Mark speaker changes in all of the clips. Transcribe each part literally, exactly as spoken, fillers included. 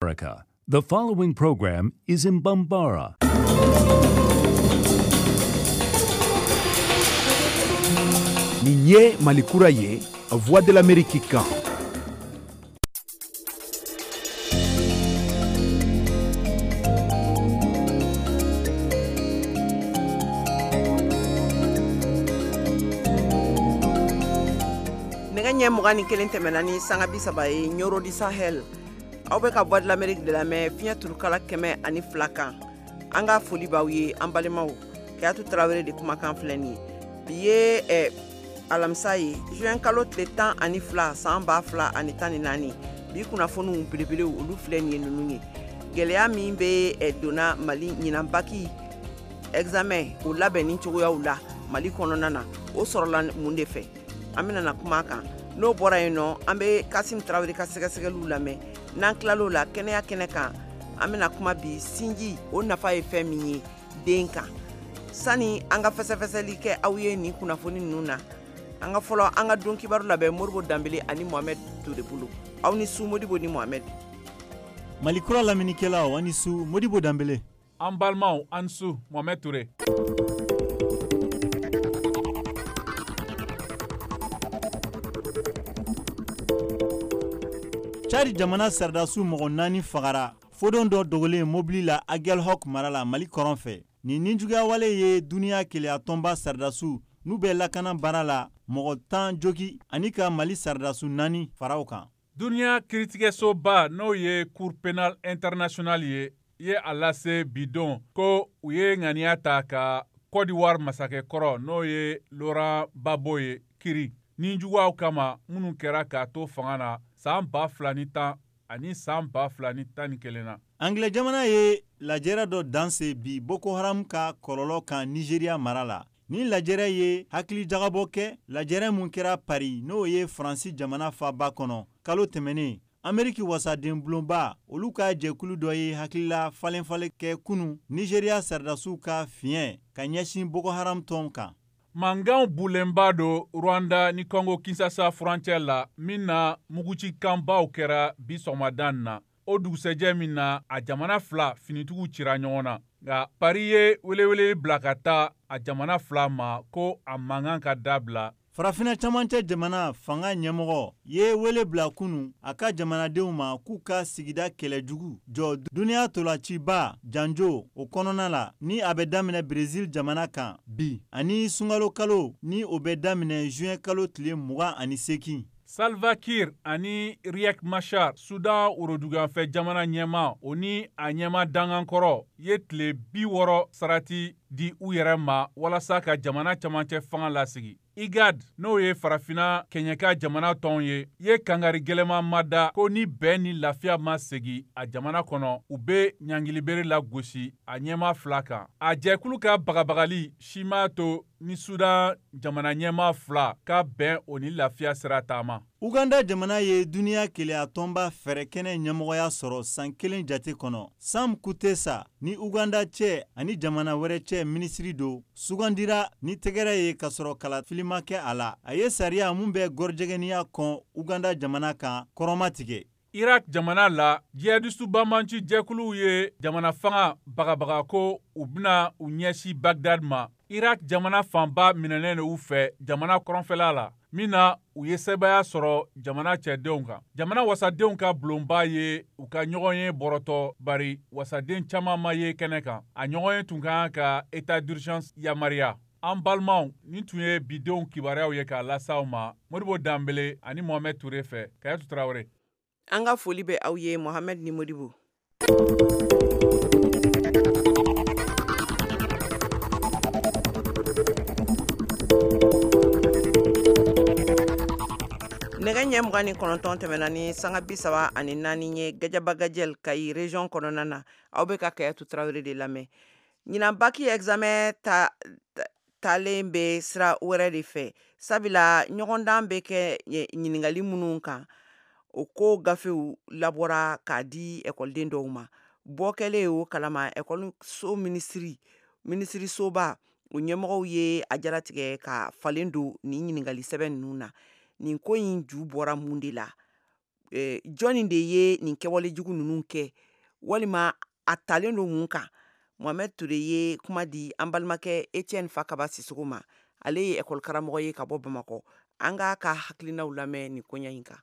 Speaker 1: America. The following program is in Bambara.
Speaker 2: Nin ye Mali kura ye, Voix de l'Amérique kan.
Speaker 3: Nɛgɛ ɲɛ mugan ni kelen tɛmɛna ni sanga bi saba ye Ɲɔrɔ di Sahel. Aw bɛ ka Voix de l'Amérique de lamɛn fiɲɛ turukala kɛmɛ ani fila kan. An ka foli b'aw ye an balimaw. Kayatu Tarawele de kumakan filɛ nin ye. Bi ye eh, alamisa ye, juin kalo tile tan ani fila san ba fila ani tan ni naani. Bi kunnafoniw belebelew olu filɛ nin ye ninnu ye. Gɛlɛya min bɛ eh, donna Mali ɲinan baki examen o labɛnni cogoyaw la Mali kɔnɔna na, o sɔrɔla mun de fɛ? An bɛna na kuma kan. N'o bɔra yen nɔ, an bɛ Kasim Tarawele ka sɛgɛsɛgɛliw lamɛn. N'an tilal'o la, kɛnɛya kɛnɛ kan, an bɛna kuma bi sinji o nafa ye fɛn min ye den kan. Sani an ka fɛsɛfɛsɛli kɛ aw ye nin kunnafoni ninnu na, an ka fɔlɔ an ka don kibaru labɛn Modibo Danbele ani Mohamed Ture bolo. Aw ni su Modibo ni Mohamed.
Speaker 4: Mali kura lamɛnnikɛlaw, aw ni su Modibo Danbele.
Speaker 5: An balimaw, an su Mohamed Ture.
Speaker 4: Tchad jamana sardasiw mɔgɔ naani fagara fodon dɔ dogolen mobili la Aguelhok mara la Mali kɔrɔn fɛ. Nin nijuguyawale ye duniya keleya tɔnba sardasiw n'u bɛ lakana baara la mɔgɔ tan jogi ani ka Mali sardasiw naani fara o kan.
Speaker 5: Duniya kiiritigɛsoba n'o ye Cour pénale internationale ye ye a lase bidon ko u ye ŋaniya ta ka Côte d'Ivoire masakɛ kɔrɔ n'o ye Laurent Gbagbo ye kiri nijuguyaw kama minnu kɛra k'a to fanga na san ba fila ni tan ani san ba fila ni tan ni kelen na.
Speaker 4: Angilɛ jamana ye lajɛrɛ dɔ danse bi Boko Haram ka kɔlɔlɔ kan Nigeria mara la. Ni lajɛrɛ ye hakili jagabɔ kɛ, lajɛrɛ mun kɛra Paris n'o ye Faransi jamana faaba kɔnɔ kalo tɛmɛnen. Ameriki wasaden bulonba olu ka jɛkulu dɔ ye hakilila falen-falen kɛ kunu Nigeria sardasiw ka fiɲɛ ka ɲɛsin Boko Haram tɔn kan.
Speaker 5: Mankanw bulenba don Rwanda ni Congo Kinshasa furancɛ la min na mugucikanbaw kɛra bi sɔgɔmada na. O dugusɛjɛ min na a jamana fila finitigiw cira ɲɔgɔn na. Nka Paris ye welewele bila ka taa a jamana fila ma ko a mankan ka dabila.
Speaker 4: Farafinna camancɛ jamana fanga ɲɛmɔgɔ ye wele bila kunu a ka jamanadenw ma k'u ka sigida kɛlɛjugu jɔ duniya tolaciba janjo o kɔnɔna la ni a bɛ daminɛ Brésil jamana kan bi ani sunkalo kalo ni o bɛ daminɛ juin kalo tile mugan ani seegin.
Speaker 5: Salva Kiir ani Riek Machar, Sudan woroduguyanfɛ jamana ɲɛmaa, o ni a ɲɛmaa dangankɔrɔ ye tile bi wɔɔrɔ sarati di u yɛrɛ ma walasa ka jamana camancɛ fanga lasigi. IGAD n'o ye farafinna kɛɲɛka jamana tɔnw ye, ye kangari gɛlɛman ma da ko ni bɛn ni lafiya ma segi a jamana kɔnɔ, u bɛ ɲangilibere lagosi a ɲɛmaa fila kan. A jɛkulu ka bagabagali si m'a to ni Sudan jamana ɲɛmaa fila ka bɛn o ni lafiya sira taama.
Speaker 4: Uganda jamana ye duniya keleya tɔnba fɛɛrɛkɛnɛ ɲɛmɔgɔya sɔrɔ san kelen jate kɔnɔ. Sam Kutesa ni Uganda cɛ ani jamana wɛrɛ cɛ minisiri don sugandira ni tɛgɛrɛ ye k'a sɔrɔ kalafili ma kɛ a la. A ye sariya mun bɛ gɔrɔjɛgɛniya kɔn Uganda jamana kan kɔrɔma tigɛ.
Speaker 5: Irak jamana la, jihadistu banbanci jɛkuluw ye jamana fanga bagabaga ko u bɛna u ɲɛsin Bagdad ma. Irak jamana fanba minɛnen don u fɛ jamana kɔrɔnfɛla la, min na u ye sebaaya sɔrɔ jamana cɛdenw kan. Jamana wasadenw ka bulonba ye u ka ɲɔgɔn ye bɔrɔtɔ bari wasaden caman ma ye kɛnɛ kan. A ɲɔgɔn ye tun ka kan ka état d'urgence yamaruya. An balimaw, nin tun ye bidenw kibaruyaw ye k'a lase aw ma Modibo Danbele ani Mohamed Ture fɛ. Kayatu Tarawele.
Speaker 3: An ka foli bɛ aw ye Mohamed ni Modibo. Nɛgɛ ɲɛ mugan ni kɔnɔntɔn tɛmɛna ni sanga bi saba ani naani ye Gajaba Gajɛl Kayi région kɔnɔna na. Aw bɛ ka Kayatu Tarawele de lamɛn. Ɲinan baki examen ta, ta, talen bɛ sira wɛrɛ de fɛ, sabula ɲɔgɔndan bɛ kɛ ɲininkali minnu kan, o ko gafew labɔra k'a di ekɔliden dɔw ma. Bɔ kɛlen o kalama, ekɔliso minisiri, minisirisoba o ɲɛmɔgɔw ye a jaratigɛ ka falen don nin ɲininkali sɛbɛn ninnu na. Nin ko in ju bɔra mun de la? Jɔnni de ye nin kɛwale jugu ninnu kɛ walima a talen don mun kan? Mohamed Touré ye kuma di an balimakɛ Etienne Fakaba Sisoko ma. Ale ye école karamɔgɔ ye ka bɔ Bamakɔ. An k'a ka hakilinaw lamɛn nin koɲɛ in kan.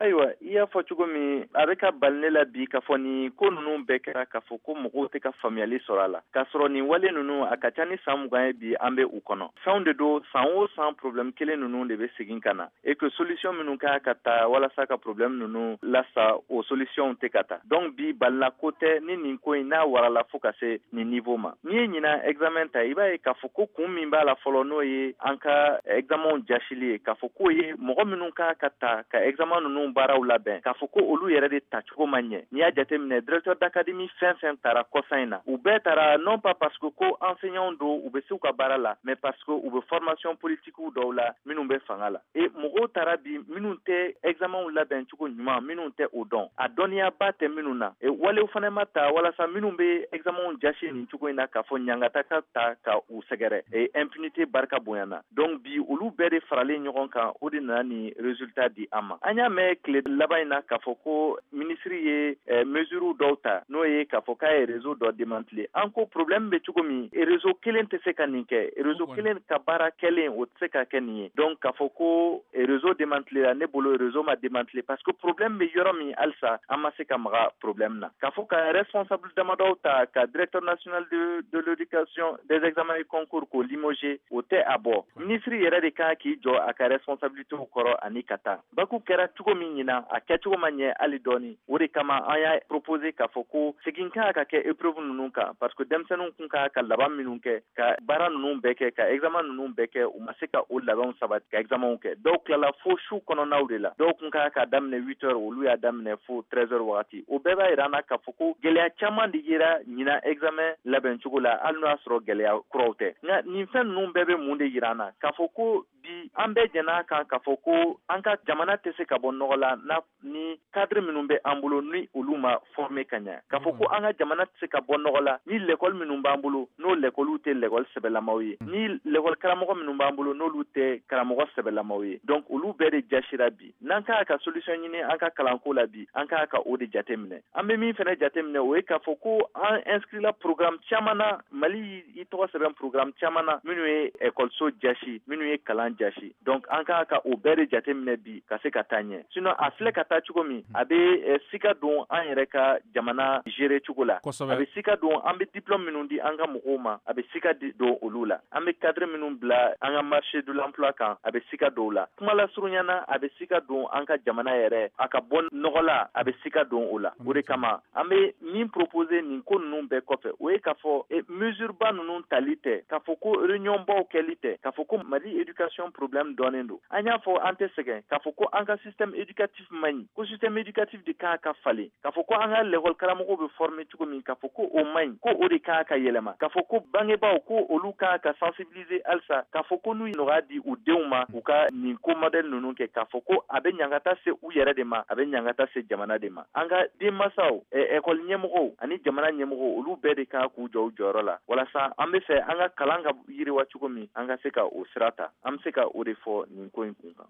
Speaker 6: Ayiwa, i y'a fɔ cogo min, a bɛ ka bali ne la bi k'a fɔ nin ko ninnu bɛɛ kɛra k'a fɔ ko mɔgɔw tɛ ka faamuyali sɔrɔ a la, k'a sɔrɔ nin wale ninnu a ka ca ni san mugan ye bi an bɛ u kɔnɔ. Fɛnw de don, san o san problème kelen ninnu de bɛ segin ka na et que solution minnu ka ka ta walasa ka problème ninnu lasa, o solution tɛ ka ta. Donc bi balila ko tɛ ni nin ko in n'a warala fo ka se nin niveau ma. N'i ye ɲinan examen ta, i b'a ye k'a fɔ ko kun min b'a la fɔlɔ, n'o ye an ka examen jasili ye, k'a fɔ k'o ye mɔgɔ minnu ka ka ta ka examen ninnu baaraw labɛn, k'a fɔ ko olu yɛrɛ de tacogo ma ɲɛ. N'i y'a jateminɛ, directeur d'académie fɛn fɛn taara kɔsan in na, u bɛɛ taara non pas parce que ko enseignants don, u bɛ se u ka baara la, mais parce que u bɛ formation politique dɔw la minnu bɛ fanga la. Et mɔgɔw taara bi minnu tɛ examenw labɛn cogo ɲuman, minnu tɛ o dɔn, a dɔnniyaba tɛ minnu na. Et walew fana ma ta walasa minnu bɛ examenw jasi nin cogo in na, k'a fɔ ɲangata ka ta ka u sɛgɛrɛ, et impunité barika bonyana. Donc bi olu bɛɛ de faralen ɲɔgɔn kan, o de nana nin résultat di an ma. An y'a mɛn tile laban in na k'a fɔ ko minisiri ye eh, mesure dɔw ta, n'o ye k'a fɔ k'a ye réseau dɔ démantelé. An ko problème bɛ cogo min, réseau kelen tɛ se ka nin kɛ, réseau kelen ka baara kɛlen o tɛ se ka kɛ nin ye. Donc k'a fɔ ko réseau démantelé la, ne bolo réseau ma démantelé, parce que problème bɛ yɔrɔ min halisa an ma se ka maga problème na. K'a fɔ ka responsable damadɔw ta, ka directeur national de, de l'éducation des examens et concours k'o limogé, o tɛ a bɔ. Minisiri yɛrɛ de kan k'i jɔ a ka responsabilité kɔrɔ ani ka taa. Baku kɛra cogo min ɲina, a kɛcogo ma ɲɛ hali dɔɔni. O de kama an y'a proposé k'a fɔ ko segin kan ka kɛ épreuve ninnu kan, parce que denmisɛnninw kun ka ka laban minnu kɛ, ka baara ninnu bɛɛ kɛ, ka examen ninnu bɛɛ kɛ, u ma se ka o labɛnw sabati ka examenw kɛ. Dɔw tilala fo su kɔnɔnaw de la, dɔw kun ka ka daminɛ huit heures, olu y'a daminɛ fo treize heures wagati. O bɛɛ b'a yira an na k'a fɔ ko gɛlɛya caman de yera ɲina examen labɛn cogo la, hali n'o y'a sɔrɔ gɛlɛya kuraw tɛ. Nka nin fɛn ninnu bɛɛ bɛ mun de yira an na? K'a fɔ ko bi an bɛɛ jɛn'a kan k'a fɔ ko an ka jamana tɛ se ka bɔ nɔgɔ la na ni cadre minnu bɛ an bolo ni olu ma former ka ɲɛ, k'a fɔ ko an ka jamana tɛ se ka bɔ nɔgɔ la ni l'école minnu b'an bolo n'o l'école tɛ l'école sɛbɛlamaw ye, ni l'école karamɔgɔ minnu b'an bolo n'olu tɛ karamɔgɔ sɛbɛlamaw ye. Donc olu bɛɛ de jasira bi. N'an k'a ka solution ɲini an ka kalanko la bi, an k'a ka o de jateminɛ. An bɛ min fana jateminɛ, o ye k'a fɔ ko an inscrit la programme caman na, Mali i tɔgɔ sɛbɛn programme caman na minnu ye école so jasi, minnu ye kalan jasi. Donc an k'a ka o bɛɛ de jateminɛ bi ka se ka taa ɲɛ. Sinon a filɛ ka taa cogo min, a bɛ sika don an yɛrɛ ka jamana gérer cogo la, a bɛ sika don an bɛ diplôme minnu di an ka mɔgɔw ma, a bɛ sika don olu la. An bɛ cadre minnu bila an ka marché de l'emploi kan, a bɛ sika don o la. Kuma lasurunya na, a bɛ sika don an ka jamana yɛrɛ a ka bɔ nɔgɔ la, a bɛ sika don o la. O de kama an bɛ min proposer nin ko ninnu bɛɛ kɔfɛ, o ye k'a fɔ mesure ba ninnu tali tɛ, k'a fɔ ko réunion baw kɛli tɛ, k'a fɔ ko Mali éducation problème dɔnnen don. An y'a fɔ an tɛ sɛgɛn k'a fɔ ko an ka système éducatif man ɲi, ko système éducatif de kan ka falen, k'a fɔ ko an ka l'école karamɔgɔw bɛ former cogo min, k'a fɔ ko o man ɲi, ko o de kan ka yɛlɛma, k'a fɔ ko bangebaaw ko olu kan ka sensibiliser halisa, k'a fɔ ko n'u ye nɔgɔya di u denw ma u ka nin ko modèle ninnu kɛ, k'a fɔ ko a bɛ ɲangata se u yɛrɛ de ma, a bɛ ɲangata se jamana de ma. An ka denmansaw, école ɲɛmɔgɔw ani jamana ɲɛmɔgɔw, olu bɛɛ de kan k'u jɔ u jɔyɔrɔ la walasa an bɛ fɛ an ka kalan ka yiriwa cogo min, an ka se ka o sira ta. An bɛ se ka o de fɔ nin ko in kun kan.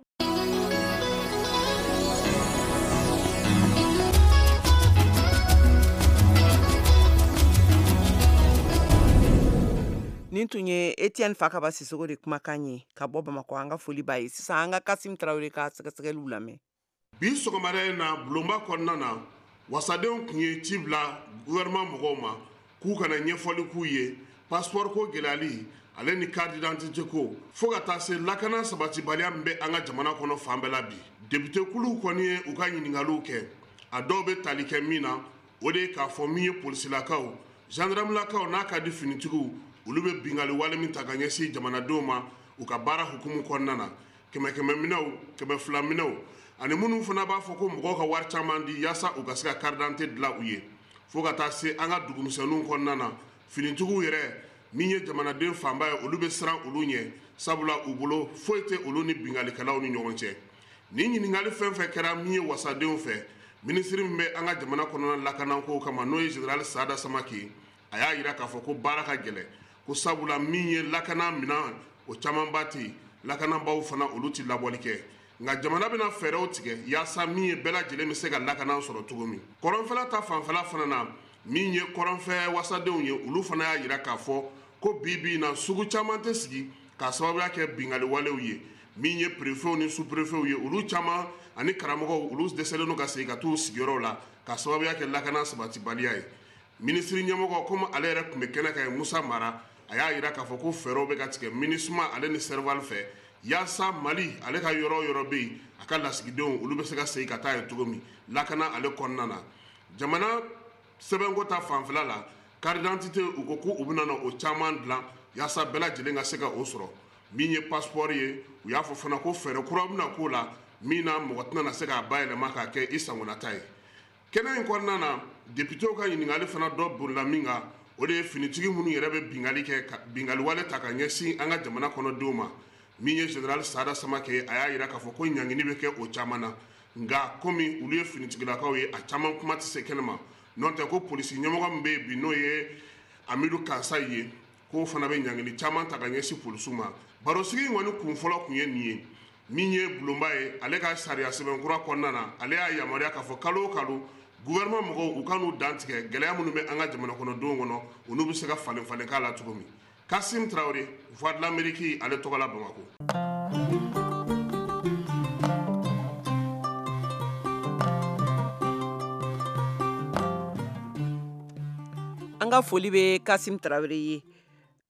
Speaker 3: Nin tun ye Etienne Fakaba Sisoko de kumakan ye ka bɔ Bamakɔ. An ka foli b'a ye. Sisan an ka Kasim Tarawele ka sɛgɛsɛgɛliw lamɛn.
Speaker 7: Bi sɔgɔmada in na, bulonba kɔnɔna na, wasadenw tun ye ci bila gouvernement mɔgɔw ma k'u kana ɲɛfɔli k'u ye passeport ko gɛlɛyali ale ni carte d'identité ko, fo ka taa se lakana sabatibaliya min bɛ an ka jamana kɔnɔ fan bɛɛ la bi. Député kuluw kɔni ye u ka ɲininkaliw kɛ, a dɔw bɛ tali kɛ min na, o de ye k'a fɔ min ye polisilakaw, gendarmelakaw n'a ka di finitigiw, olu bɛ bingali wale min ta ka ɲɛsin jamanadenw ma u ka baara hukumu kɔnɔna na, kɛmɛ kɛmɛ minɛw, kɛmɛ fila minɛw, ani minnu fana b'a fɔ ko mɔgɔw ka wari caman di yaasa u ka se ka carte d'identité dilan u ye, fo ka taa se an ka dugumisɛnninw kɔnɔna na, finitigiw yɛrɛ min ye jamanaden fanba ye, olu bɛ siran olu ɲɛ, sabula u bolo foyi tɛ olu ni bingalikɛlaw ni ɲɔgɔn cɛ. Nin ɲininkali fɛn fɛn kɛra min ye wasadenw fɛ, minisiri min bɛ an ka jamana kɔnɔna lakanako kama, n'o ye général Sada Samake, a y'a yira k'a fɔ ko baara ka gɛlɛn, ko sabula min ye lakana minɛn o camanba tɛ yen, lakanabaaw fana olu tɛ labɔli kɛ. Nka jamana bɛna fɛɛrɛw tigɛ yaasa min ye bɛɛ lajɛlen bɛ se ka lakana sɔrɔ cogo min. Kɔrɔnfɛla ta fanfɛla fana na, min ye kɔrɔnfɛ wasadenw ye, olu fana y'a jira k'a fɔ ko bi bi in na sugu caman tɛ sigi k'a sababuya kɛ bingali walew ye. Min ye préfetw ni sous-préfetw ye, olu caman ani karamɔgɔw, olu dɛsɛlen don ka segin ka t'u sigiyɔrɔw la k'a sababuya kɛ lakana sabatibaliya ye. Minisiri ɲɛmɔgɔ, komi ale yɛrɛ tun bɛ kɛnɛ kan ye, Musa Mara, a y'a jira k'a fɔ ko fɛɛrɛw bɛ ka tigɛ MINUSMA ale ni Serval fɛ yaasa Mali ale ka yɔrɔ o yɔrɔ bɛ yen, a ka lasigidenw olu bɛ se ka segin ka taa yen cogo min lakana ale kɔnɔna na. Jamana sɛbɛnko ta fanfɛla la, carte d'identité, u ko k'u bɛna na o caman dilan yaasa bɛɛ lajɛlen ka se ka o sɔrɔ. Min ye passeport ye, u y'a fɔ fana ko fɛɛrɛ kura bɛna k'o la min na mɔgɔ tɛna se k'a bayɛlɛma k'a kɛ i sagonata ye. Kɛnɛ in kɔnɔna na, députéw ka ɲininkali fana dɔ bolila min kan, o de ye finitigi minnu yɛrɛ bɛ bingali kɛ, bingali wale ta ka ɲɛsin an ka jamana kɔnɔdenw ma. Min ye général Sada Samake, a y'a jira k'a fɔ ko ɲangini bɛ kɛ o caman na, nka komi olu ye finitigilakaw ye, a caman kuma tɛ se kɛnɛ ma. N'o tɛ ko polisi ɲɛmɔgɔ min bɛ yen bi, n'o ye Amidu Kansayi ye, k'o fana bɛ ɲangini caman ta ka ɲɛsin polisiw ma. Barosigi in kɔni kun fɔlɔ tun ye nin ye. Min ye bulonba ye, ale ka sariya sɛbɛn kura kɔnɔna na, ale y'a yamaruya k'a fɔ kalo o kalo gouvernement mɔgɔw u ka n'u dantigɛ gɛlɛya minnu bɛ an ka jamana kɔnɔdenw kɔnɔ, olu bɛ se ka falen falen k'a la cogo min. Kasim Traoré, Voix de l'Amérique, ale tɔgɔ la Bamakɔ.
Speaker 3: An ka foli bɛ Kasim Traoré ye.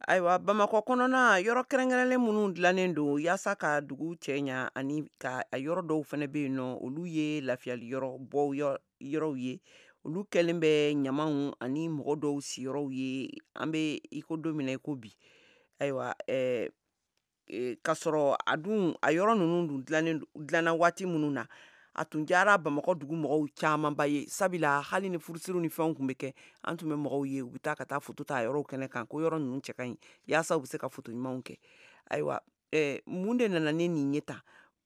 Speaker 3: Ayiwa, Bamakɔ kɔnɔna yɔrɔ kɛrɛnkɛrɛnlen minnu dilannen don yaasa ka dugu cɛɲa, ani ka a yɔrɔ dɔw fana bɛ yen nɔ, olu ye lafiyali yɔrɔ bɔ yɔrɔw ye, olu kɛlen bɛ ɲamanw ani mɔgɔ dɔw siyɔrɔw ye. An bɛ i ko don min na i ko bi, ayiwa, ɛɛ k'a sɔrɔ a dun a yɔrɔ ninnu dun dilannen dilanna waati minnu na, a tun diyara Bamakɔ dugu mɔgɔw camanba ye, sabula hali ni furusiriw ni fɛnw tun bɛ kɛ, an tun bɛ mɔgɔw ye u bɛ taa ka taa foto ta yɔrɔw kɛnɛ kan, ko yɔrɔ ninnu cɛ ka ɲi yaasa u bɛ se ka foto ɲumanw kɛ. Ayiwa, ɛɛ mun de nana ni nin ye tan,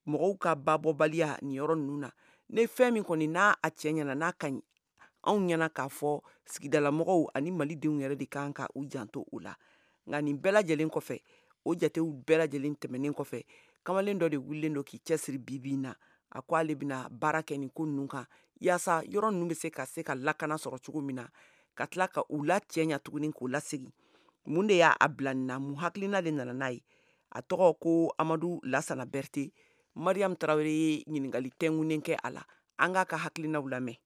Speaker 3: mɔgɔw ka babɔbaliya nin yɔrɔ ninnu na? Ne fɛn min kɔni n'a a cɛ ɲɛna, n'a ka ɲi anw ɲɛna, k'a fɔ sigidalamɔgɔw ani malidenw yɛrɛ de kan ka u janto o la. Nka nin bɛɛ lajɛlen kɔfɛ, o jatew bɛɛ lajɛlen tɛmɛnen kɔfɛ, kamalen dɔ de wulilen don k'i cɛsiri bi bi in na. A ko ale bɛna baara kɛ nin ko ninnu kan yaasa yɔrɔ ninnu bɛ se ka se ka lakana sɔrɔ cogo min na, ka tila ka u la cɛɲa tuguni k'u lasegin. Mun de y'a bila nin na? Mun hakilina de nana n'a ye? A tɔgɔ ko Amadu Lasana Berete. Mariam Tarawele ye ɲininkali tɛnkunnen kɛ a la. An k'a ka hakilinaw lamɛn.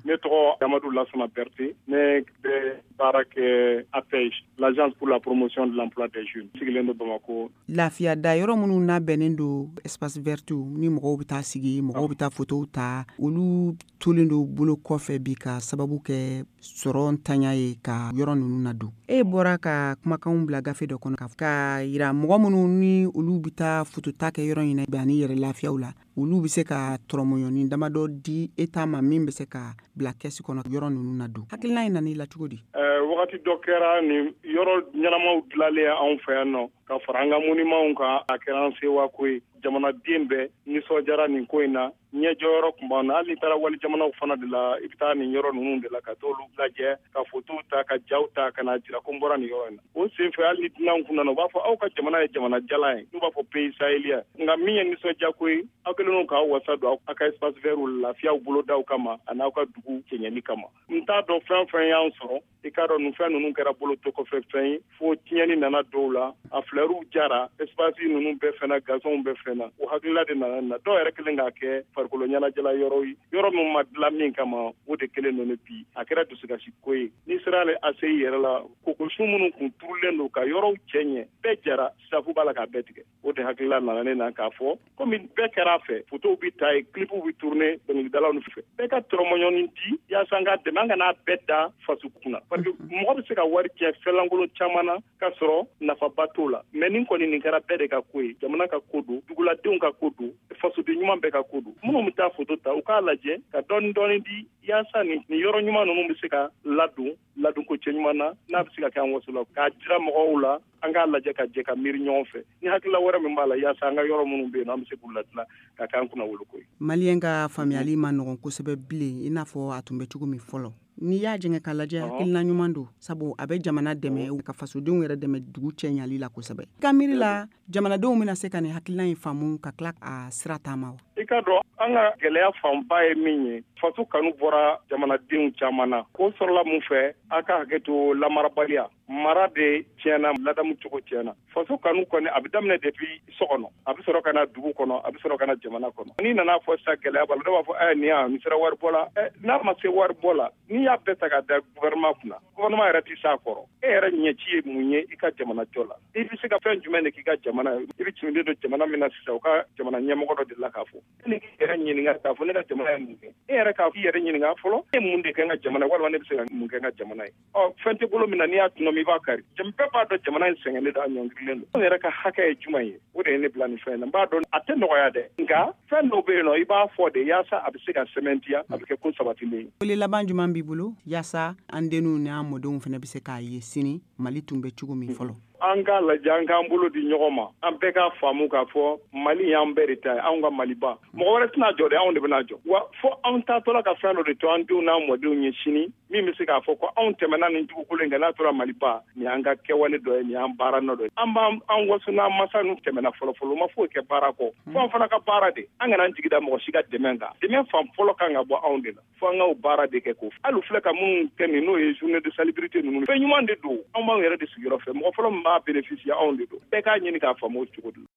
Speaker 8: Ne tɔgɔ Amadou Lassana Berté, ne bɛ baara kɛ APEJ, l'agence pour la promotion de l'emploi des jeunes, sigilen don Bamakɔ.
Speaker 9: Lafiya da yɔrɔ minnu labɛnnen don, espace vert, ni mɔgɔw bɛ taa sigi, mɔgɔw bɛ taa photow ta, olu tolen don bolo kɔfɛ bi ka sababu kɛ sɔrɔ ntanya ye ka yɔrɔ ninnu ladon. E bɔra ka kumakanw bila gafe dɔ kɔnɔ ka yira mɔgɔ minnu ni olu bɛ taa photo ta kɛ yɔrɔ in na ani yɛrɛ lafiyaw la, olu bɛ se ka tɔrɔmɔɲɔni damadɔ di État ma min bɛ se ka bila kɛsi kɔnɔ yɔrɔ ninnu na don. Hakilina in nana i la cogo di?
Speaker 8: Wagati dɔ kɛra, nin yɔrɔ ɲɛnamaw dilanlen anw fɛ yan nɔ ka fara an ka monumentw kan, a kɛra an sewako ye. Jamanaden bɛɛ nisɔndiyara nin ko in na. Ɲɛjɔyɔrɔ tun b'an na. Hali n'i taara wali jamanaw fana de la, i bɛ taa nin yɔrɔ ninnu de la ka t'olu lajɛ, ka fotow ta, ka jaw ta, ka n'a jira ko n bɔra nin yɔrɔ in na. O senfɛ, hali ni dunanw kun nana, u b'a fɔ aw ka jamana ye jamana jalan ye, n'u b'a fɔ pays sahélien. Nka min ye nisɔndiyako ye, aw kɛlen don k'aw wasa don aw ka espace vert lafiyaw bolodaw kama ani aw ka dugu cɛɲɛli kama. N t'a dɔn fɛn fɛn y'an sɔrɔ, i k'a dɔn nin fɛn ninnu kɛra bolo to kɔfɛ fɛn ye, fo tiɲɛni nana dɔw la, a fleurs jara, espace ninnu bɛɛ fɛnna, gazonw bɛɛ fɛnna. O hakilila de nana na. Dɔw yɛrɛ kɛlen k'a kɛ farikolo ɲɛnajɛla yɔrɔ ye, yɔrɔ min ma dilan min kama, o de kɛlen don bi. A kɛra dusukasi ko ye. N'i sera ale A C I yɛrɛ la, kokosun minnu kun turulen don ka yɔrɔw cɛ ɲɛ, bɛɛ jara, safu b'a la k'a bɛɛ tigɛ. O de hakilila nana ne na k'a fɔ komi bɛɛ kɛra a fɛ, fotow bɛ ta yen, clipw bɛ tourner dɔnkilidalaw fɛ, bɛɛ ka tɔrɔmɔɲɔni di yaasa an ka dɛmɛ, an kana bɛɛ da faso kunna, parce que mɔgɔ bɛ se ka wari tiɲɛ fɛnlankolon caman na k'a sɔrɔ nafaba t'o la. Mais nin kɔni, nin kɛra bɛɛ de ka ko ye. Jamana ka ko don, duguladenw ka ko don, fasoden ɲuman bɛɛ ka ko don. Minnu bɛ taa foto ta, u k'a lajɛ ka dɔɔni dɔɔni di yaasa nin nin yɔrɔ ɲuman ninnu bɛ se ka ladon ladonko cɛ ɲuman na, n'a bɛ se ka kɛ an waso la, k'a jira mɔgɔw la. An k'a lajɛ ka jɛ ka miiri ɲɔgɔn fɛ ni hakilila wɛrɛ min b'a la, yaasa an ka yɔrɔ minnu bɛ yen, an bɛ se k'u ladilan ka k'an kunna wolo ko ye.
Speaker 9: Maliyɛn ka faamuyali ma nɔgɔn kosɛbɛ bilen i n'a fɔ a tun bɛ cogo min fɔlɔ. N'i y'a jɛngɛ k'a lajɛ, hakilina ɲuman don, sabu a bɛ jamana dɛmɛ ka fasodenw yɛrɛ dɛmɛ dugu cɛɲali la kosɛbɛ. I ka miiri la, jamanadenw bɛna se ka nin hakilina in faamu ka tila a sira taama wa?
Speaker 8: I ka dɔn, an ka gɛlɛya fanba ye min ye, faso kanu bɔra jamanadenw caman na. K'o sɔrɔla mun fɛ? A ka hakɛ to, lamarabaliya, mara de tiɲɛna, ladamu cogo tiɲɛna. Faso kanu kɔni, a bɛ daminɛ depuis so kɔnɔ, a bɛ sɔrɔ ka na dugu kɔnɔ, a bɛ sɔrɔ ka na jamana kɔnɔ. N'i nana fɔ sisan gɛlɛya b'a la, dɔw b'a fɔ ɛ nin yan nin sera waribɔ la. Ɛ n'a ma se waribɔ la, n'i y'a bɛɛ ta k'a da gouvernement kunna, gouvernement yɛrɛ tɛ s'a kɔrɔ. E yɛrɛ ɲɛci ye mun ye i ka jamana jɔ la? I bɛ se ka fɛn jumɛn de k'i ka jamana ye? I bɛ cinden don jamana min na sisan, u ka jamana ɲɛmɔgɔ dɔ delila k'a fɔ. E ni k'i yɛrɛ ɲininka k'a fɔ ne ka jamana ye mun kɛ? E yɛrɛ k'a i yɛrɛ ɲininka fɔlɔ, e mun de kɛ n ka jamana, walima ne bɛ se ka mun kɛ n ka jamana ye? Ɔ fɛn tɛ bolo min na, n'i y'a tɔnɔmi, i b'a kari. Bɛɛ b'a dɔn jamana in sɛgɛnnen don, a ɲɔngirilen don. Anw yɛrɛ ka hakɛ ye jumɛn ye? O de ye ne bila nin fɛn in na. N b'a dɔn a tɛ nɔgɔya dɛ, nka fɛn dɔw bɛ yen nɔ, i b'a fɔ de yaasa a bɛ se ka sɛmɛntiya, a bɛ kɛ ko sabatilen ye.
Speaker 9: Wele laban jumɛn b'i bolo yaasa an denw n'an mɔdenw fana bɛ se k'a ye sini Mali tun bɛ cogo min fɔlɔ?
Speaker 8: An k'a lajɛ, an k'an bolo di ɲɔgɔn ma, an bɛɛ k'a faamu k'a fɔ Mali y'an bɛɛ de ta ye, anw ka Maliba. Mɔgɔ wɛrɛ tɛna jɔ dɛ, anw de bɛna jɔ. Wa fo anw taatɔla ka fɛn dɔ de to an denw n'an mɔdenw ye sini, min bɛ se k'a fɔ ko anw tɛmɛna nin dugukolo in kan, n'a tora Maliba, nin y'an ka kɛwale dɔ ye, nin y'an baara nɔ dɔ ye. An b'an an waso n'an masa ninnu tɛmɛna fɔlɔ fɔlɔ, u ma foyi kɛ baara kɔ. Fo an fana ka baara de, an kana an jigi da mɔgɔ si ka dɛmɛ kan. Dɛmɛ fan fɔlɔ kan ka bɔ anw de la, fo an k'o baara de kɛ. K'o hali filɛ ka minnu kɛ nin, n'o ye journée de salubrité ninnu, fɛn ɲuman de don. Anw b'anw yɛrɛ de sigiyɔrɔ fɛ, mɔgɔ fɔlɔ min b'a bénéficier, anw de don. Bɛɛ k'a ɲini k'a faamu o cogo de la.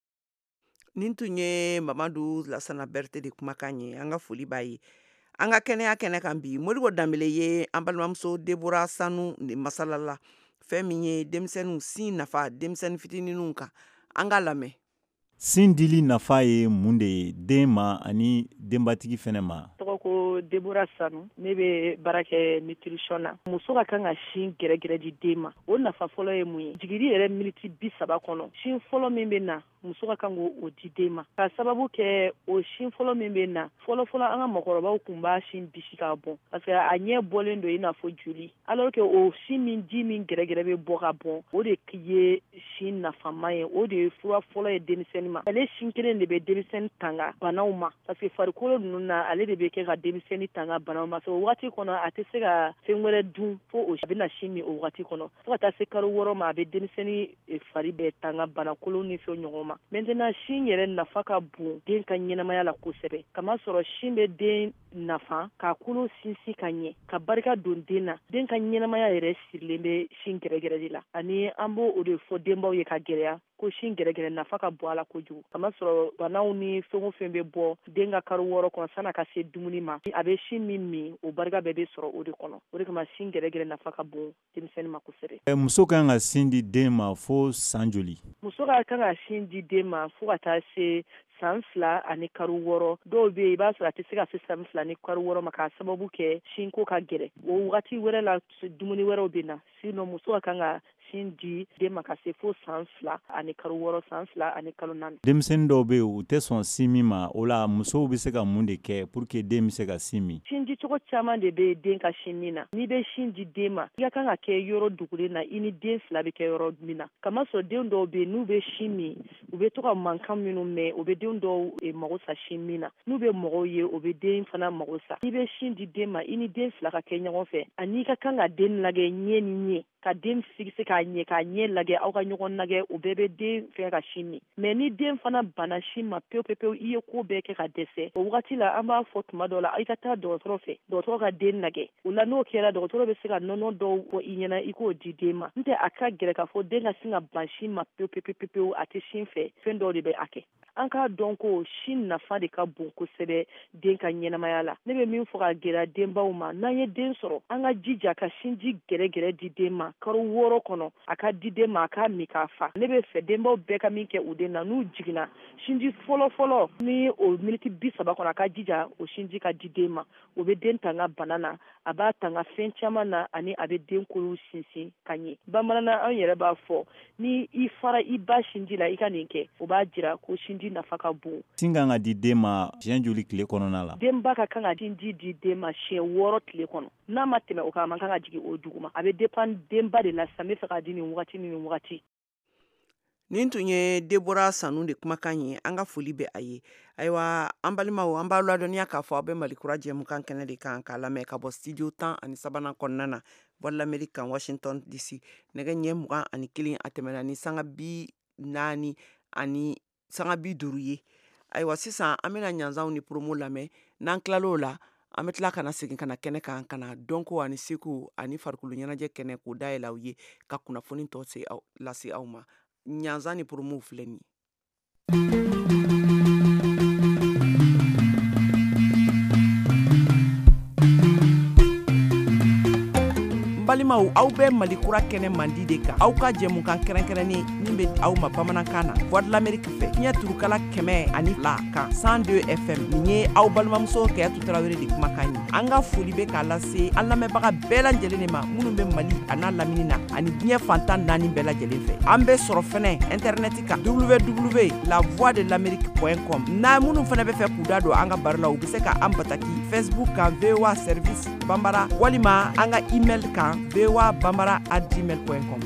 Speaker 3: Nin tun ye Mamadu Lasana Berete de kumakan ye. An ka foli b'a ye. An ka kɛnɛya kɛnɛ kan bi, Modibo Danbele ye an balimamuso Debora Sanu de masala la, fɛn min ye denmisɛnninw sin nafa denmisɛnnin fitininw kan. An ka lamɛn.
Speaker 4: Sin dili nafa ye mun de ye den ma ani denbatigi fɛnɛ ma?
Speaker 10: Tɔgɔ ko Debora Sanu, ne bɛ baara kɛ nutrition na. Muso ka kan ka sin gɛrɛgɛrɛ di den ma. O nafa fɔlɔ ye mun ye? Jigili yɛrɛ miniti bi saba kɔnɔ, sin fɔlɔ min bɛ na, muso ka kan k'o di den ma, ka sababu kɛ o sin fɔlɔ min bɛ na, fɔlɔ fɔlɔ, an ka mɔgɔkɔrɔbaw tun b'a sin bisi k'a bɔn, parce que a ɲɛ bɔlen don i n'a fɔ joli, alors que o sin min ji min gɛrɛgɛrɛ bɛ bɔ ka bɔn, o de ye sin nafama ye, o de ye fura fɔlɔ ye denmisɛnnin ma. Ale sin kelen de bɛ denmisɛnnin tanga banaw ma, parce que farikolo ninnu na, ale de bɛ kɛ ka denmisɛnnin tanga banaw ma. O waati kɔnɔ, a tɛ se ka fɛn wɛrɛ dun fo o a bɛna sin min o waati kɔnɔ, fo ka taa se kalo wɔɔrɔ ma. A bɛ denmisɛnnin fari bɛɛ tanga banakolon ni fɛn ɲɔgɔn ma. Maintenant, sin yɛrɛ nafa ka bon den ka ɲɛnamaya la kosɛbɛ, kamasɔrɔ sin bɛ den nafa k'a kolo sinsin ka ɲɛ, ka barika don den na. Den ka ɲɛnamaya yɛrɛ sirilen bɛ sin gɛrɛgɛrɛ de la, ani an b'o o de fɔ denbaw ye ka gɛlɛya ko sin gɛrɛgɛrɛ nafa ka bon a la kojugu, kamasɔrɔ banaw ni fɛn o fɛn bɛ bɔ den ka kalo wɔɔrɔ kɔnɔ san'a ka se dumuni ma, a bɛ sin min min, o barika bɛɛ bɛ sɔrɔ o de kɔnɔ. O de kama sin gɛrɛgɛrɛ nafa ka bon denmisɛnnin ma kosɛbɛ.
Speaker 4: Muso kan ka sin di den ma fo san joli?
Speaker 10: Muso ka kan ka sin di den ma fo ka taa se san fila ani kalo wɔɔrɔ. Dɔw bɛ yen, i b'a sɔrɔ a tɛ se ka se san fila ni kalo wɔɔrɔ ma, k'a sababu kɛ sinko ka gɛlɛn. O wagati wɛrɛ la, dumuni wɛrɛw bɛ na. Sinon, muso ka kan ka sin di den ma ka se fo san fila ani kalo wɔɔrɔ, san fila ani kalo naani.
Speaker 4: Denmisɛnnin dɔw bɛ yen, u tɛ sɔn sin min ma. O la, musow bɛ se ka mun de kɛ pour que den bɛ se ka sin min?
Speaker 10: Sin di cogo caman de bɛ den ka sin min na. N'i bɛ sin di den ma, i ka kan ka kɛ yɔrɔ dugulen na, i ni den fila bɛ kɛ yɔrɔ min na, kamasɔrɔ den dɔw bɛ yen, n'u bɛ sin min, u bɛ to ka mankan minnu mɛn, o bɛ den dɔw mago sa sin min na. N'u bɛ mɔgɔw ye, o bɛ den fana mago sa. N'i bɛ sin di den ma, i ni den fila ka kɛ ɲɔgɔn fɛ, ani i ka kan ka den lajɛ ɲɛ ni ɲɛ, ka den fixer k'a ɲɛ, k'a ɲɛ lajɛ, aw ka ɲɔgɔn lajɛ, o bɛɛ bɛ den fɛ ka sin min. Mais ni den fana banna sin ma pewu pewu pewu, i ye ko bɛɛ kɛ ka dɛsɛ, o wagati la, an b'a fɔ tuma dɔw la, i ka taa dɔgɔtɔrɔ fɛ, dɔgɔtɔrɔ ka den lajɛ. O la, n'o kɛra, dɔgɔtɔrɔ bɛ se ka nɔnɔ dɔw fɔ i ɲɛna, i k'o di den ma. N tɛ a ka gɛlɛn k'a fɔ den ka sin ka ban sin ma pewu pewu pewu pewu, a tɛ sin fɛ. Fɛn dɔw de bɛ a kɛ. An k'a dɔn ko sin nafa de ka bon kosɛbɛ den ka ɲɛnamaya la. Ne bɛ min fɔ ka gɛlɛya denbaw ma, n'an ye den sɔrɔ, an ka jija ka sinji gɛrɛgɛrɛ di den ma kalo wɔɔrɔ kɔnɔ, a ka di den ma, a k'a min k'a fa. Ne bɛ fɛ denbaw bɛɛ ka min kɛ u den na, n'u jiginna, sinji fɔlɔ fɔlɔ ni o miniti bi saba kɔnɔ, a ka jija o sinji ka di den ma. O bɛ den tanga bana na, a b'a tanga fɛn caman na, ani a bɛ den kolo sinsin ka ɲɛ. Bamananna, an yɛrɛ b'a fɔ, ni i fara i ba sinji la, i ka nin kɛ, o b'a jira ko sinji nafa ka bon.
Speaker 4: Sin kan ka di den ma siɲɛ joli tile kɔnɔna la?
Speaker 10: Denba ka kan ka sinji di den ma siɲɛ wɔɔrɔ tile kɔnɔ. N'a ma tɛmɛ o kan, a man kan ka jigin o duguma. A bɛ dépend denba de la sisan, n bɛ fɛ k'a di nin wagati ni nin wagati.
Speaker 3: Nin tun ye Debora Sanu de kumakan ye. An ka foli bɛ a ye. Ayiwa. An balimaw, an b'aw ladɔnniya k'a fɔ aw bɛ Malikura jɛmukan kɛnɛ de kan k'a lamɛn ka bɔ studio tan ani sabanan kɔnɔna na, Voix de l'Amérique kan, Washington D C. Nɛgɛ ɲɛ mugan ani kelen a tɛmɛna ni sanga bi naani ani sanga bi duuru ye. Ayiwa, sisan an bɛna ɲanzanw ni promo lamɛn. N'an tilal'o la, an bɛ tila ka na segin ka na kɛnɛ kan, ka na dɔnko ani seko ani farikolo ɲɛnajɛ kɛnɛ k'o dayɛlɛ aw ye, ka kunnafoni tɔ se aw lase aw ma. Ɲanzan ni promow filɛ nin ye. Balimaw, aw bɛ Malikura kɛnɛ mandi de kan, aw ka jɛmukan kɛrɛnkɛrɛnnen min bɛ aw ma bamanankan na, Voix de l'Amérique fɛ, fiɲɛ turukala kɛmɛ ani fila kan, cent deux F M. Nin ye aw balimamuso Kɛyatu Tarawele de kumakan ye. An ka foli bɛ k'a lase an lamɛnbaga bɛɛ lajɛlen de ma, minnu bɛ Mali a n'a lamini na ani diɲɛ fantan naani bɛɛ lajɛlen fɛ. An bɛ sɔrɔ fɛnɛ internet kan, W W la voix de l'amérique point com. N'a minnu fɛnɛ bɛ fɛ k'u da don an ka baro la, u bɛ se ka an bataki Facebook kan, V O A service Bambara, walima an ka email kan, voa bambara at gmail point com.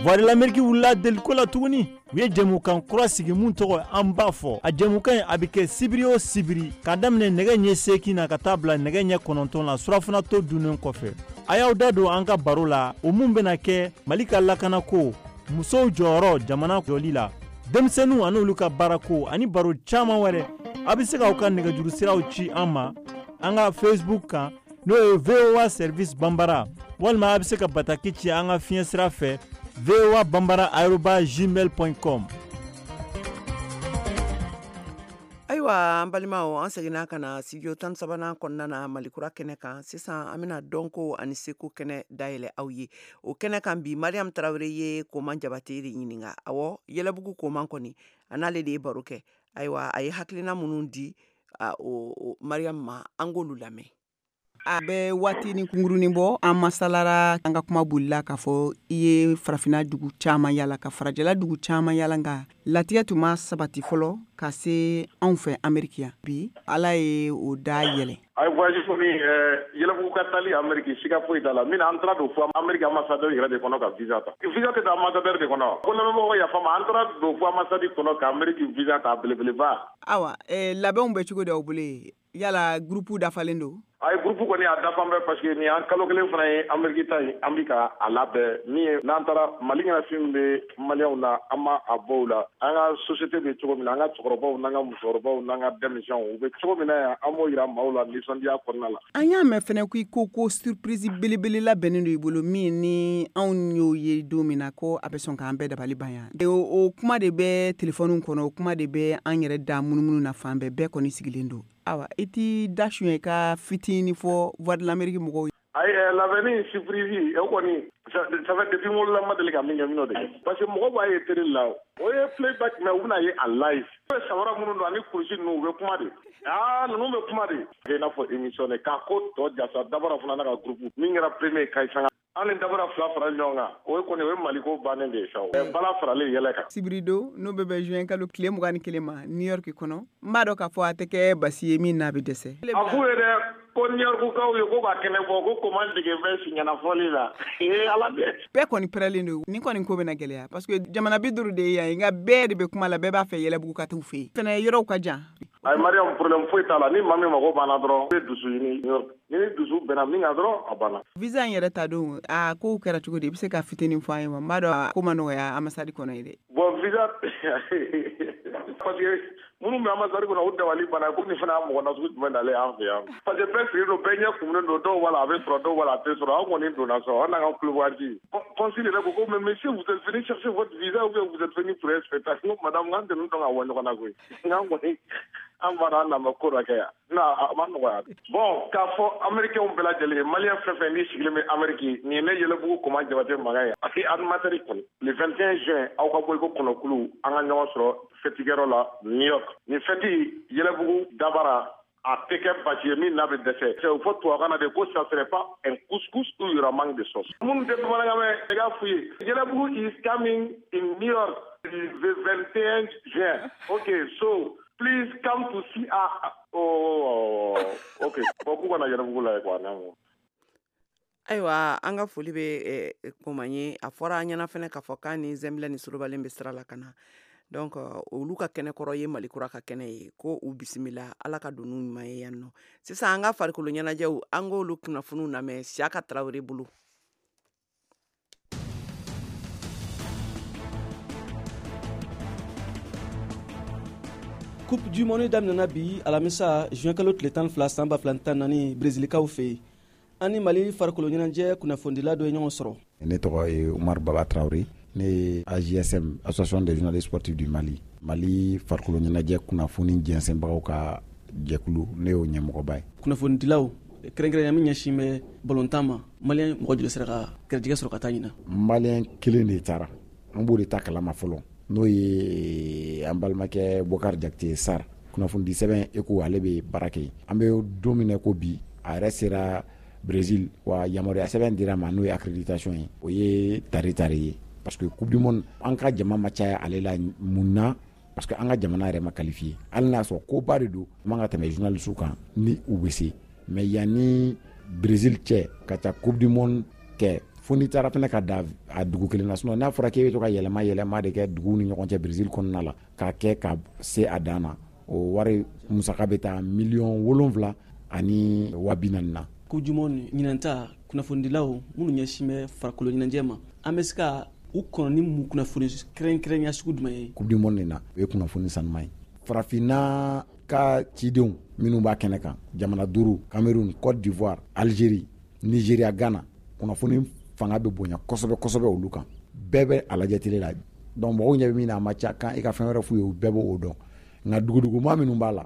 Speaker 4: Voix de l'Amérique wulila deliko la tuguni. U ye jɛmukan kura sigi mun tɔgɔ An b'a fɔ. A jɛmukan in, a bɛ kɛ sibiri o sibiri, k'a daminɛ nɛgɛ ɲɛ seegin na ka taa bila nɛgɛ ɲɛ kɔnɔntɔn la, surafana to dunnen kɔfɛ. A y'aw da don an ka baro la, o mun bɛna kɛ Mali ka lakanako, musow jɔyɔrɔ jamana jɔli la, denmisɛnninw ani olu ka baarako, ani baro caman wɛrɛ. A bɛ se k'aw ka nɛgɛjuru siraw ci an ma an ka Facebook kan, n'o ye V O A service Banbara, walima a bɛ se ka bataki ci an ka fiɲɛ sira fɛ, voa bambara arobase gmail point com.
Speaker 3: Ayiwa, an balimaw, an seginna ka na studio tan sabanan kɔnɔna na, Malikura kɛnɛ kan. Sisan an bɛna dɔnko ani seko kɛnɛ dayɛlɛ aw ye. O kɛnɛ kan bi, Mariam Tarawele ye Koman Jabate de ɲininka. Awɔ, Yɛlɛbugu Koman kɔni, a n'ale de ye baro kɛ. Ayiwa, a ye hakilina minnu di a, o, o Mariam ma, an k'olu lamɛn.
Speaker 9: A bɛ waati ni kunkurunin bɔ, an masalara, an ka kuma bolila k'a fɔ i ye farafinna dugu caman yala, ka farajɛla dugu caman yala, nka latigɛ tun ma sabati fɔlɔ ka se anw fɛ Ameriki yan. Bi, Ala ye o da yɛlɛ.
Speaker 8: A ye voyage kɔni, Yɛlɛbugu ka taali Amérique, siga foyi t'a la. Min an taara don fo Amérique ambassadeur yɛrɛ de kɔnɔ ka visa ta. Visa tɛ taa ambassadeur de kɔnɔ ko lamɛnbagaw ka yafa ma. An taara don fo ambassade kɔnɔ ka Amérique visa ta, belebeleba.
Speaker 9: Awa, eh, labɛnw bɛ cogo di aw bolo yen? Yala groupe dafalen don?
Speaker 8: A ye groupe kɔni, a dafan bɛ, parce que nin y'an kalo kelen fana ye. Amérique ta in, an bi ka a labɛn. Min ye n'an taara Mali ɲɛnafin bɛ maliyɛnw na, an ma a bɔ u la. An ka société bɛ cogo min na, an ka cɛkɔrɔbaw n'an ka musokɔrɔbaw n'an ka denmisɛnw, u bɛ cogo min na yan, an b'o yira maaw la nisɔndiya kɔnɔna la.
Speaker 9: An y'a mɛn fɛnɛ ko i ko ko surprise belebele labɛnnen don i bolo, min ni anw y'o ye don min na, ko a bɛ sɔn k'an bɛɛ dabali ban yan. o, o kuma de bɛ telefɔniw kɔnɔ, o kuma de bɛ an yɛrɛ da munumunu na fan bɛɛ. Bɛɛ kɔni sigilen don. Awa, i t'i da suɲɛ i ka fitinin fɔ Voix de l'Amérique mɔgɔw ye?
Speaker 8: Ayi, labɛnni surprise, o kɔni, ça fait depuis n wolola, n ma deli ka min kɛ, n bɛn'o de kɛ, parce que mɔgɔw b'a ye télé la, o ye playback, mais u bɛna ye en live. U bɛ samara minnu don ani kulusi ninnu, u bɛ kuma de. Aa, ninnu bɛ kuma de i n'a fɔ émission de k'a ko tɔ jasa. Dabara fana n'a ka groupe min kɛra premier Kayi Sanga, an ni dabara fila fara ɲɔgɔn kan, o ye kɔni, o ye Maliko bannen de ye sa, o bala faralen yɛlɛ kan.
Speaker 9: Sibirido n'o bɛ bɛn juin kalo tile mugan ni kelen ma, New York kɔnɔ, n b'a dɔn k'a fɔ a tɛ kɛ basi ye min n'a bɛ dɛsɛ.
Speaker 8: A f'u ye dɛ ko New York kaw ye ko ka kɛnɛ bɔ ko Koman dege bɛ siɲɛnafɔli la. Ee, Ala dɛ!
Speaker 9: Bɛɛ kɔni pɛrɛlen don. Nin kɔni ko bɛna gɛlɛya, parce que jamana bi duuru de ye yan, nka bɛɛ de bɛ kuma la, bɛɛ b'a fɛ Yɛlɛbugu ka t'u fɛ yen fɛnɛ, yɔrɔw ka jan.
Speaker 8: Ayi Mariam, problème foyi t'a la. Ni maa min mago banna dɔrɔn, i bɛ dusu ɲini New York. Ni ni dusu bɛnna min kan dɔrɔn, a banna.
Speaker 9: Visa in yɛrɛ ta don, a kow kɛra cogo di? I bɛ se ka fitinin fɔ an ye wa? N b'a dɔn a ko ma nɔgɔya ambassade kɔnɔ ye dɛ.
Speaker 8: Bon, visa, parce que minnu bɛ ambassade kɔnɔ, u dabali banna ko nin fana y'a mɔgɔ nasugu jumɛn nalen an fɛ yan, parce que bɛɛ sigilen don, bɛɛ ɲɛ kumunen don. Dɔw b'a la a bɛ sɔrɔ, dɔw b'a la a tɛ sɔrɔ. An kɔni donna sɔrɔ, an n'an ka kulowaji. Consul yɛrɛ ko ko mais monsieur, vous êtes venu chercher votre visa ou bien vous êtes venu pour un spectacle? N ko madame, n k'an tɛ ninnu dɔn ka bɔ ɲɔgɔn na koyi. N k'an kɔni, an b'a dɔn an na ma ko dɔ kɛ yan non, a ma nɔgɔya. Bon, k'a fɔ américains bɛɛ lajɛlen ye, malien fɛn fɛn n'i sigilen bɛ Amérique, nin ye ne Yɛlɛbugu Koman Jabate mankan ye, parce que animateur kɔni, le vingt et un juin, aw ka bɔ i ko kɔnɔkulu, an ka ɲɔgɔn sɔrɔ fɛtikɛyɔrɔ la New York. Nin fɛti, Yɛlɛbugu dabara, a tɛ kɛ basi ye min n'a bɛ dɛsɛ. O fɔ tubabukan na de ko ça serait pas un couscous où il y aura manque de sauce. Minnu tɛ bamanankan mɛn, i k'a f'u ye Yɛlɛbugu is coming in New York le vingt et un juin. Ok, so please come to see us. Oh, ok, bon, k'u kana Yɛlɛbugu lajɛ quoi.
Speaker 3: Ayiwa, an ka foli bɛ Koma ye. A fɔra an ɲɛna fɛnɛ k'a fɔ k'a ni Zɛnbilɛ ni Solobalen bɛ sira la ka na. Donc olu ka kɛnɛ kɔrɔ ye Mali kura ka kɛnɛ ye, ko u bisimila, Ala ka don n'u ɲuman ye yan nɔ. Sisan an ka farikolo ɲɛnajɛw, an k'olu kunnafoniw lamɛn Siyaka Tarawele bolo.
Speaker 11: Coupe du Monde daminɛna bi alamisa juin kalo tile tan fila san ba fila tan naani Brezilikaw fɛ yen. An ni Mali farikolo ɲɛnajɛ kunnafonidila dɔ ye ɲɔgɔn sɔrɔ.
Speaker 12: Ne tɔgɔ ye Umaru Baba Traoré, ne ye A J S M, Association des journalistes sportifs du Mali, Mali farikolo ɲɛnajɛ kunnafoni jɛnsɛnbagaw ka jɛkulu, ne y'o ɲɛmɔgɔba ye.
Speaker 11: Kunnafonidilaw kɛrɛnkɛrɛnnenya min ɲɛsin bɛ balontan ma, maliyɛn mɔgɔ joli sera ka garijɛgɛ sɔrɔ ka taa ɲina?
Speaker 12: Maliyɛn kelen de taara, an b'o de ta kalama fɔlɔ, n'o ye an balimakɛ Bokar Jakite Sar, kunnafonidi sɛbɛn Eko, ale bɛ baara kɛ. An bɛ don min na ko bi, a yɛrɛ sera Brésil, wa yamaruya sɛbɛn dira ma, n'o ye accréditation ye, o ye tari tari ye, parce que Coupe du Monde an ka jama ma caya ale la. Mun na? Parce que an ka jamana yɛrɛ ma qualifié. Hali n'a sɔrɔ koba de don, man ka tɛmɛ journaliste kan ni u bɛ se, mais yanni Brésil cɛ ka taa Coupe du Monde kɛ, fo n'i taara fɛnɛ ka da a dugu kelen na. Sinon n'a fɔra k'e bɛ to ka yɛlɛma yɛlɛma de kɛ duguw ni ɲɔgɔn cɛ Brésil kɔnɔna la, k'a kɛ ka se a dan na, o wari musaka bɛ taa miliyɔn wolonwula ani wa bi naani na.
Speaker 11: Coupe du Monde ɲinan ta, kunnafonidilaw minnu ɲɛsin bɛ farikolo ɲɛnajɛ ma, an bɛ se ka u kɔnɔ ni mun kunnafoni kɛrɛnkɛrɛnya sugu jumɛn ye?
Speaker 12: Coupe du Monde nin na, o ye kunnafoni sanuman ye. Farafinna ka cidenw minnu b'a kɛnɛ kan, jamana duuru, Cameroun, Côte d'Ivoire, Algérie, Nigeria, Ghana, kunnafoni fanga bɛ bonya kosɛbɛ kosɛbɛ olu kan. Bɛɛ bɛ a lajɛ télé la. Donc mɔgɔw ɲɛ bɛ min na, a ma ca kan i ka fɛn wɛrɛ f'u ye, u bɛɛ b'o dɔn. Nka duguduguma minnu b'a la,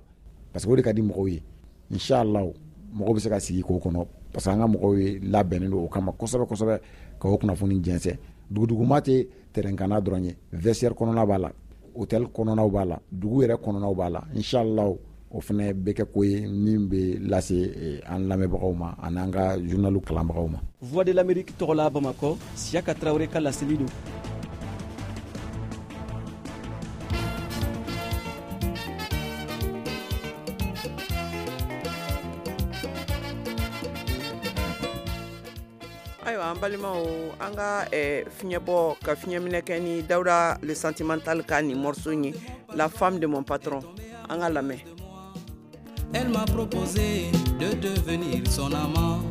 Speaker 12: parce que o de ka di mɔgɔw ye, inchallah mɔgɔw bɛ se ka sigi k'o kɔnɔ, parce que an ka mɔgɔw ye labɛnnen don o kama kosɛbɛ kosɛbɛ ka o kunnafoni jɛnsɛn. Duguduguma tɛ terrain dɔrɔn ye, vestiaire kɔnɔna b'a la, hôtel kɔnɔnaw b'a la, dugu yɛrɛ kɔnɔnaw b'a la. Inchallah o fana bɛ kɛ ko ye min bɛ lase an lamɛnbagaw ma ani an ka journal kalanbagaw ma.
Speaker 11: Voix de l'Amérique tɔgɔ la Bamakɔ, Siyaka Tarawele ka laseli don.
Speaker 3: Ayiwa, an balimaw, an ka fiɲɛbɔ ka fiɲɛminɛ kɛ ni Dawuda le sentimental ka nin morceau ye, La femme de mon patron, an ka lamɛn.
Speaker 13: Elle m'a proposé de devenir son amant.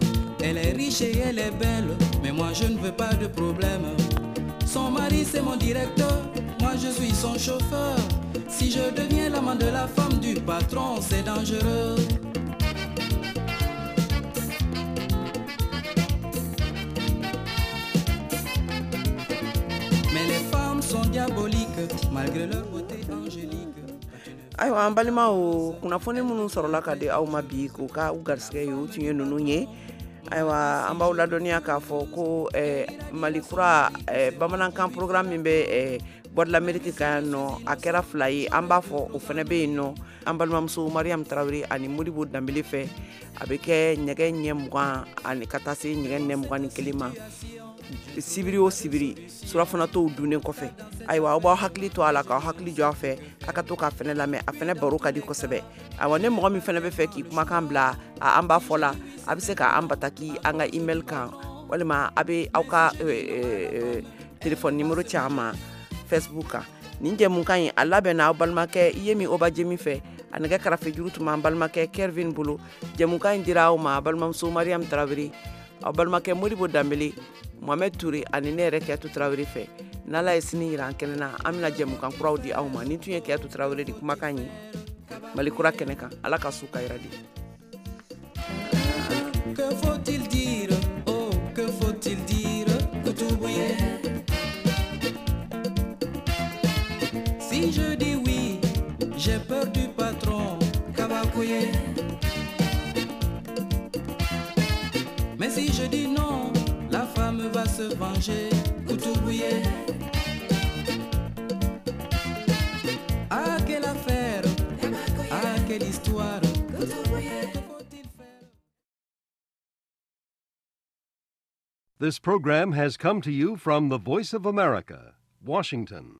Speaker 13: Elle est riche et elle est belle, mais moi je ne veux pas de problème. Son mari c'est mon directeur, moi je suis son chauffeur. Si je deviens l'amant de la femme du patron, c'est dangereux. Mais les femmes sont diaboliques, malgré leur beauté angélique.
Speaker 3: Ayiwa, an balimaw, kunnafoni minnu sɔrɔla ka di aw ma bi k'o ka u garisɛgɛ ye, o tun ye ninnu ye. Ayiwa, an b'aw ladɔnniya k'a fɔ ko eh, Mali kura eh, bamanankan programme min bɛ eh, Voix de l'Amérique kan yan nɔ, a kɛra fila ye. An b'a fɔ o fana bɛ yen nɔ, an balimamuso Mariam Tarawele ani Modibo Danbele fɛ, a bɛ kɛ nɛgɛ ɲɛ mugan ani ka taa se nɛgɛ ɲɛ mugan ni kelen ma sibiri o sibiri, surafanatɔw dunnen kɔfɛ. Ayiwa, aw b'aw hakili to a la, k'aw hakili jɔ a fɛ, a ka to k'a fɛnɛ lamɛn, a fɛnɛ baro ka di kosɛbɛ. Ayiwa, ni mɔgɔ min fɛnɛ bɛ fɛ k'i kumakan bila an b'a fɔ la, a bɛ se k'an bataki an ka email kan, walima a bɛ aw ka téléphone numéro ci an ma Facebook kan. Nin jɛmukan in a labɛnna aw balimakɛ Yemi Obajemi fɛ, a nɛgɛ karafe juru tun b'an balimakɛ Kervin bolo. Jɛmukan in dira aw ma balimamuso Mariam Tarawele, aw balimakɛ Modibo Danbele, Mohamed Touré ani ne yɛrɛ Kiyatu Tarawele fɛ. N'Ala ye sini yira an kɛnɛ na, an bɛna jɛmukan kuraw di aw ma. Nin tun ye Kiyatu Tarawele de kumakan ye Mali kura kɛnɛ kan. Ala ka su ka yira di.
Speaker 13: Que faut-il dire? Oh, que faut-il dire? Koutoubouyé. Si je dis oui, j'ai peur du patron, Kabakouye. Mais si je dis non, la femme va se venger, Koutoubouyé. Ah, quelle affaire, ah, quelle histoire.
Speaker 14: This program has come to you from the Voice of America, Washington.